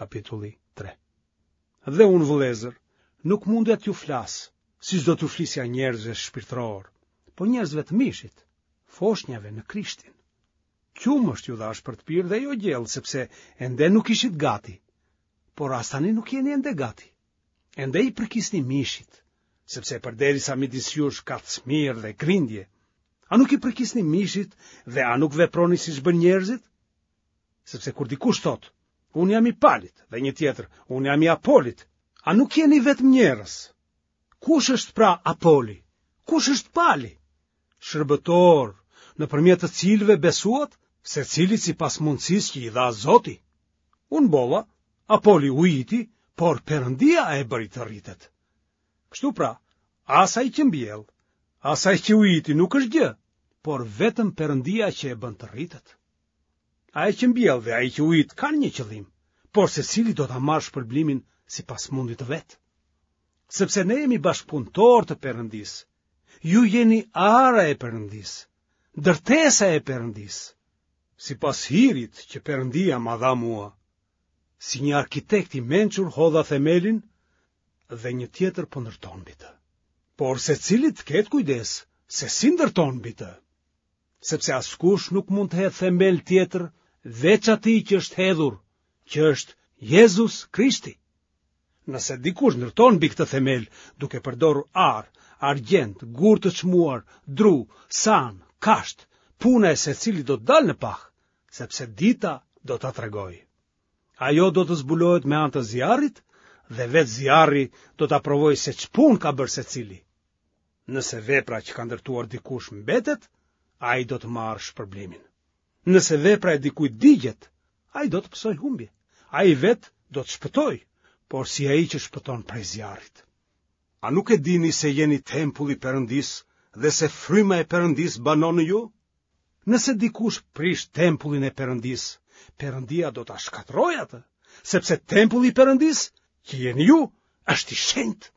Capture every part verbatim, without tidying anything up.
kapitulli tre. Dhe unë, vëllezër, nuk mundja t'ju flas, siç do t'u flisja njerëzve shpirtërorë, po njerëzve të mishit, foshnjave në Krishtin. Qumësht ju dhashë për të pirë dhe jo gjellë, sepse ende nuk ishit gati, por as tani nuk jeni ende gati. Ende i përkisni mishit, sepse përderisa midis jush ka smirë dhe grindje, a nuk i përkisni mishit dhe a nuk veproni siç bëjnë njerëzit? Sepse kur dikush thotë, unë jam i Palit, dhe një tjetër, unë jam i Apolit, a nuk jeni vetëm njerëz? Kush është pra Apoli? Kush është Pali? Shërbëtorë, nëpërmjet të cilëve besuat, secilit sipas mundësisë që i dha Zoti. Unë mbolla, Apoli ujiti, por Perëndia e bëri të rritet. Kështu pra, as ai që mbjell, as ai që ujiti nuk është gjë, por vetëm Perëndia që e bën të rritet. Ai që mbjell dhe ai që ujit kanë një qëllim, por secili do ta marrë shpërblimin sipas mundit të vet. Sepse ne jemi bashkëpunëtorë të Perëndisë. Ju jeni ara e Perëndisë, ndërtesa e Perëndisë. Sipas hirit që Perëndia ma dha mua, si një arkitekt i mençur hodha themelin dhe një tjetër po ndërton mbi të. Por secili të ketë kujdes se si ndërton mbi të, sepse askush nuk mund të hedhë themel tjetër veç atij që është hedhur, që është Jezus Krishti. Nëse dikush ndërton mbi këtë themel duke përdorur ar, argjend, gurë të çmuar, dru, sanë, kashtë, puna e secilit do të dalë në pah, sepse dita do ta tregojë. Ajo do të zbulohet me anë të zjarrit dhe vetë zjarri do ta provojë se ç'punë ka bërë secili. Nëse vepra që ka ndërtuar dikush mbetet, ai do të marrë shpërblimin. Nëse vepra e dikujt digjet, ai do të pësojë humbje. Ai vetë do të shpëtojë, por si ai që shpëton prej zjarrit. A nuk e dini se jeni tempulli i Perëndisë dhe se fryma e Perëndisë banon në ju? Nëse dikush prish tempullin e Perëndisë, Perëndia do ta shkatërrojë atë, sepse tempulli i Perëndisë, që jeni ju, është i shenjtë.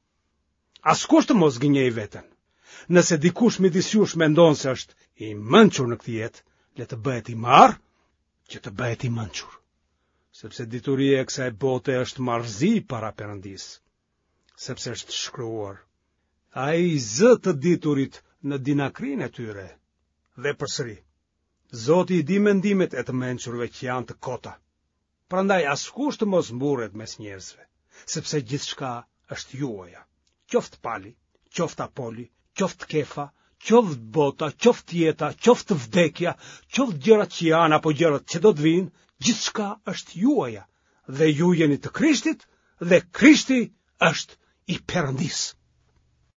Askush të mos gënjejë veten. Nëse dikush midis jush mendon se është i mençur në këtë jetë, le të bëhet i marrë, që të bëhet i mençur. Sepse dituria e kësaj bote është marrëzi para Perëndisë, sepse është shkruar: Ai i zë të diturit në dinakërinë e tyre. Dhe përsëri, Zoti i di mendimet e të mençurve që janë të kota. Prandaj askush të mos mburret mes njerëzve, sepse gjithçka është juaja, qoftë Pali, qoftë Apoli, qoftë Kefa, qoftë bota, qoftë jeta, qoftë vdekja, qoftë gjërat që janë apo gjërat që do të vijnë, gjithçka është juaja, dhe ju jeni të Krishtit, dhe Krishti është i Perëndisë.